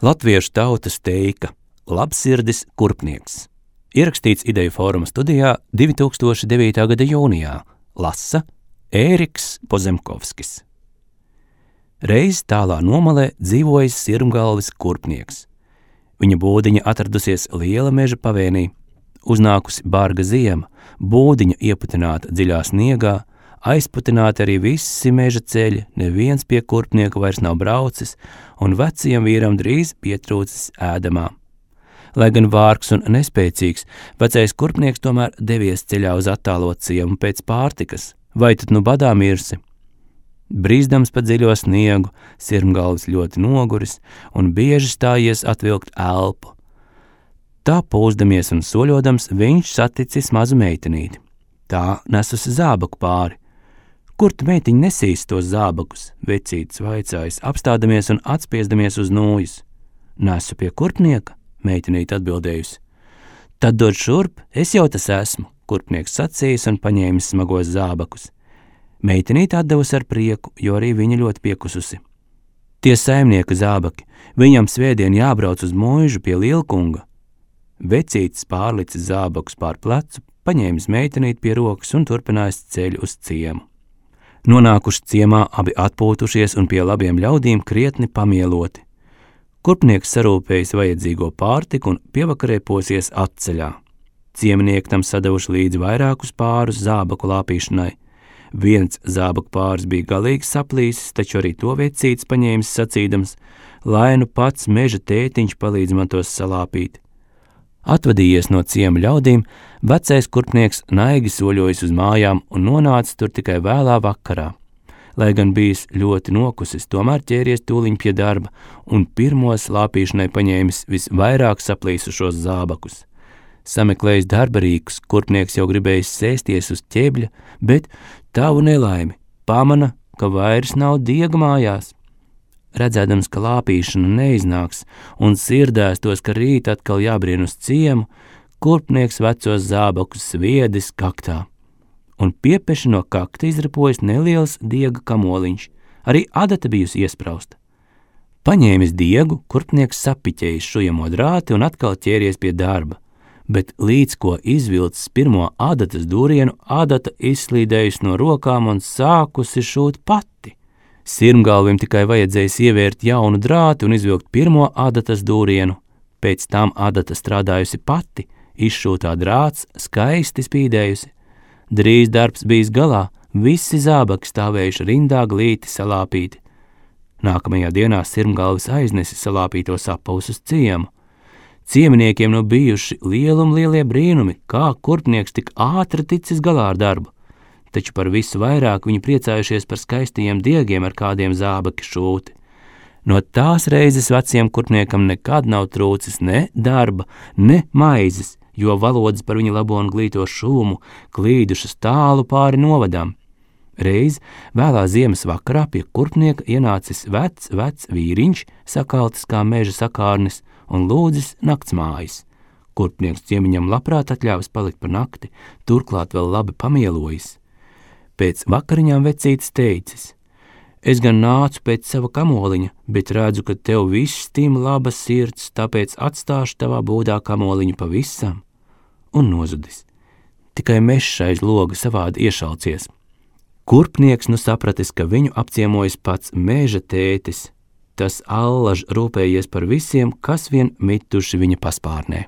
Latviešu tautas teika Labsirdis kurpnieks. Ierakstīts Ideju fóruma studijā 2009. gada jūnijā. Lasa Ēriks Pozemkovskis. Reiz tālā nomalē dzīvojis Sirmgalvis kurpnieks. Viņa būdiņa atradusies liela meža pavēnī. Uznākusi barga ziema, būdiņa ieputināta dziļā sniegā, aizputināti arī visi meža ceļi, neviens pie kurpnieka vairs nav braucis, un vecajam vīram drīz pietrūcis ēdamā. Lai gan vārgs un nespēcīgs, vecais kurpnieks tomēr devies ceļā uz attālo ciemu pēc pārtikas. Vai tad nu badā mirsi? Brīzdams pa dziļo sniegu, Sirmgalvis ļoti noguris un bieži stājies atvilkt elpu. Tā pūzdamies un soļodams, viņš saticis mazu meitenīti. Tā nesusi zābaku pāri. Kur tu, meitiņ, nesīs tos zābakus? Vecītis vaicājis, apstādamies un atspiezdamies uz nūjas. Nesu pie kurpnieka, meitenīte atbildējusi. Tad dod šurp, es jau tas esmu, kurpnieks sacījis un paņēmis smagos zābakus. Meitenīte atdevusi ar prieku, jo arī viņa ļoti piekususi. Tie saimnieka zābaki, viņam svētdien jābrauc uz mūžu pie lielkunga. Vecītis pārlicis zābakus pār plecu, paņēmis meitenīti pie rokas un turpinājis ceļu uz ciemu. Nonākuši ciemā, abi atpūtušies un pie labiem ļaudīm krietni pamieloti. Kurpnieks sarūpējis vajadzīgo pārtiku un pievakarē posies atceļā. Ciemnieki tam sadavuši līdzi vairākus pārus zābaku lāpīšanai. Viens zābaku pāris bija galīgi saplīsis, taču arī to vecītis paņēmis sacīdams, lai nu pats meža tētiņš palīdz man tos salāpīt. Atvadījies no ciema ļaudīm, vecais kurpnieks naigi soļojis uz mājām un nonāca tur tikai vēlā vakarā. Lai gan bijis ļoti nokusis, tomēr ķēries tūliņ pie darba un pirmo slāpīšanai paņēmis visvairāk saplīsušos zābakus. Sameklējis darba rīkus, kurpnieks jau gribējis sēsties uz ķēbļa, bet tavu nelaimi pamana, ka vairs nav diega mājās. Redzēdams, ka lāpīšana neiznāks un sirdēs tos, ka rīt atkal jābrien uz ciemu, kurpnieks vecos zābakus sviedis kaktā. Un piepeši no kakta izrapojis neliels diega kamoliņš, arī adata bijusi iesprausta. Paņēmis diegu, kurpnieks sapiķējis šujamo drāti un atkal ķēries pie darba, bet līdz ko izvilcis pirmo adatas dūrienu, adata izslīdējusi no rokām un sākusi šūt pati. Sirmgalvim tikai vajadzējis ievērt jaunu drāti un izvilkt pirmo adatas dūrienu. Pēc tam adata strādājusi pati, izšūtā drāts skaisti spīdējusi. Drīz darbs bijis galā, visi zābaki stāvējuši rindā glīti salāpīti. Nākamajā dienā Sirmgalvis aiznesi salāpītos apavus uz ciemu. Cieminiekiem nu bijuši lielie brīnumi, kā kurpnieks tik ātri ticis galā ar darbu. Taču par visu vairāk viņi priecājušies par skaistajiem diegiem, ar kādiem zābaki šūti. No tās reizes veciem kurpniekam nekad nav trūcis ne darba, ne maizes, jo valodas par viņa labo un glīto šūmu klīdušas tālu pāri novadām. Reiz vēlā ziemas vakarā pie kurpnieka ienācis vecs vīriņš, sakaltis kā meža sakārnis un lūdzis naktsmājas. Kurpnieks ciemiņam labprāt atļāvis palikt par nakti, turklāt vēl labi pamielojis. Pēc vakariņām vecītis teicis, es gan nācu pēc sava kamoliņa, bet redzu, ka tev viss tim laba sirds, tāpēc atstāšu tavā būdā kamoliņu pavisam. Un nozudis. Tikai mešs aiz loga savādi iešalcies. Kurpnieks nu sapratis, ka viņu apciemojas pats meža tētis. Tas allaž rūpējies par visiem, kas vien mituši viņa paspārnē.